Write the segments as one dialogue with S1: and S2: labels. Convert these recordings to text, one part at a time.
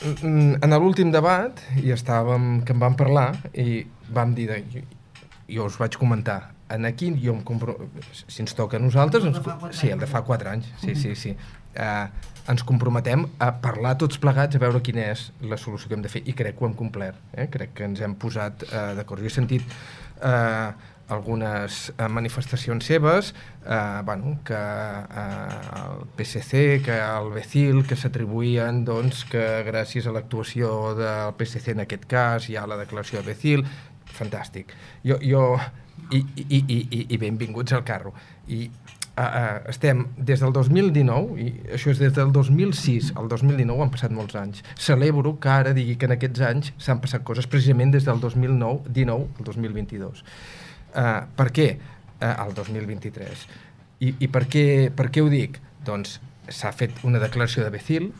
S1: en l'últim debat que en vam parlar i vam dir, jo us vaig comentar, aquí jo si ens toca a nosaltres, sí, el de fa 4 anys, sí. Ens comprometem a parlar tots plegats, a veure quina és la solució que hem de fer, i crec que ho hem complert, crec que ens hem posat d'acord. Jo he sentit algunes manifestacions seves, que el PSC, que el BCIL, que s'atribuïen que gràcies a l'actuació del PSC en aquest cas hi ha la declaració de BCIL. Fantàstic. I benvinguts al carro. I estem des del 2019, i això és des del 2006 al 2019, han passat molts anys. Celebro que ara digui que en aquests anys s'han passat coses precisament des del 2019 al 2022. Per què al 2023? I per què ho dic? Doncs s'ha fet una declaració de BCIL.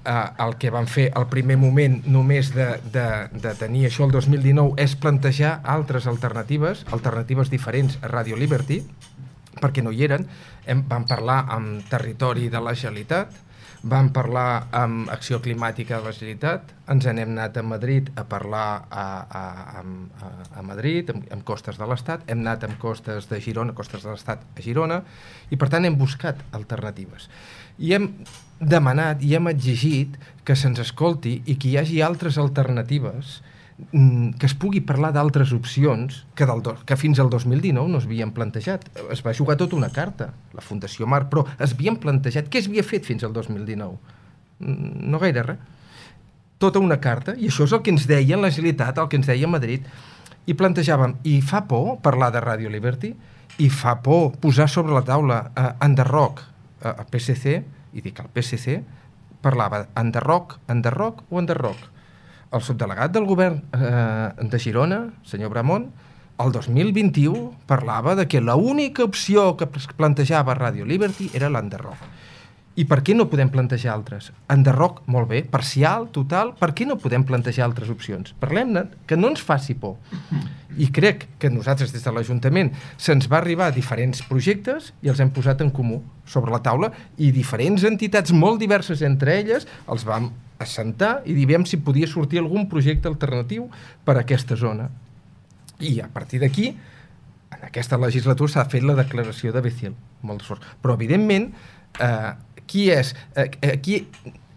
S1: El que van fer al primer moment només de tenir això el 2019 és plantejar altres alternatives diferents a Radio Liberty, perquè no hi eren. Vam parlar amb Territori de la Generalitat, vam parlar amb Acció Climàtica de la Generalitat, ens n'hem anat a Madrid a parlar a Madrid, amb Costes de l'Estat, hem anat amb Costes de Girona, Costes de l'Estat a Girona, i per tant hem buscat alternatives. I hem demanat i hem exigit que se'ns escolti i que hi hagi altres alternatives, que es pugui parlar d'altres opcions que fins al 2019 no es havien plantejat. Es va jugar tota una carta, la Fundació Mar, però es havien plantejat. Què s'havia fet fins al 2019? No gaire res. Tota una carta, i això és el que ens deia la Generalitat, el que ens deia Madrid, i plantejàvem, i fa por parlar de Radio Liberty, i fa por posar sobre la taula enderroc al PSC, i dic el PSC, parlava enderroc o enderroc. El subdelegat del govern de Girona, senyor Bramont, el 2021 parlava de que l'única opció que plantejava Radio Liberty era l'enderroc. I per què no podem plantejar altres? Enderroc, molt bé, parcial, total, per què no podem plantejar altres opcions? Parlem-ne, que no ens faci por. I crec que nosaltres des de l'Ajuntament se'ns va arribar diferents projectes i els hem posat en comú sobre la taula, i diferents entitats molt diverses entre elles els vam assentar i dir si podia sortir algun projecte alternatiu per a aquesta zona. I a partir d'aquí, en aquesta legislatura s'ha fet la declaració de BCIL, molt d'esforç. Però, evidentment, aquí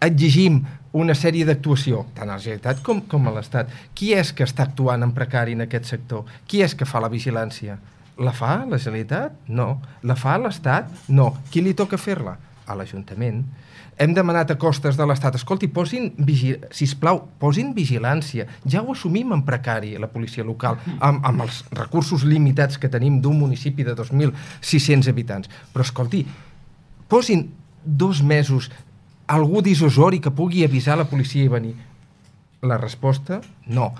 S1: exigim una sèrie d'actuació, tant a la Generalitat com a l'Estat. Qui és que està actuant en precari en aquest sector? Qui és que fa la vigilància? La fa la Generalitat? No. La fa l'Estat? No. Qui li toca fer-la? A l'Ajuntament. Hem demanat a Costes de l'Estat, escolti, sisplau, posin vigilància. Ja ho assumim en precari, la policia local, amb els recursos limitats que tenim d'un municipi de 2.600 habitants. Però, escolti, posin 2 mesos algú d'Isosori que pugui avisar la policia i venir. La resposta, no.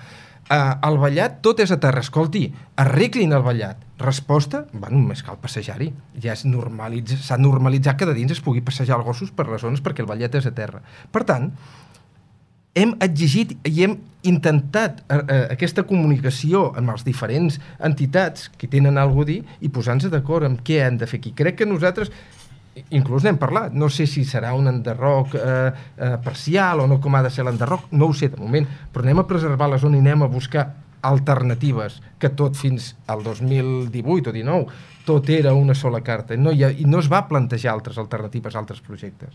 S1: Al Vallat tot és a terra. Escolti, arreglin el Vallat. Resposta, només cal passejar-hi. Ja s'ha normalitzat que de dins es pugui passejar els gossos per les zones perquè el Vallat és a terra. Per tant, hem exigit i hem intentat aquesta comunicació amb les diferents entitats que tenen alguna cosa a dir i posar-nos d'acord amb què hem de fer aquí. Crec que nosaltres inclús n'hem parlat, no sé si serà un enderroc parcial o no, com ha de ser l'enderroc, no ho sé de moment, però anem a preservar la zona i anem a buscar alternatives, que tot fins al 2018 o 19 tot era una sola carta, i no es va plantejar altres alternatives, altres projectes.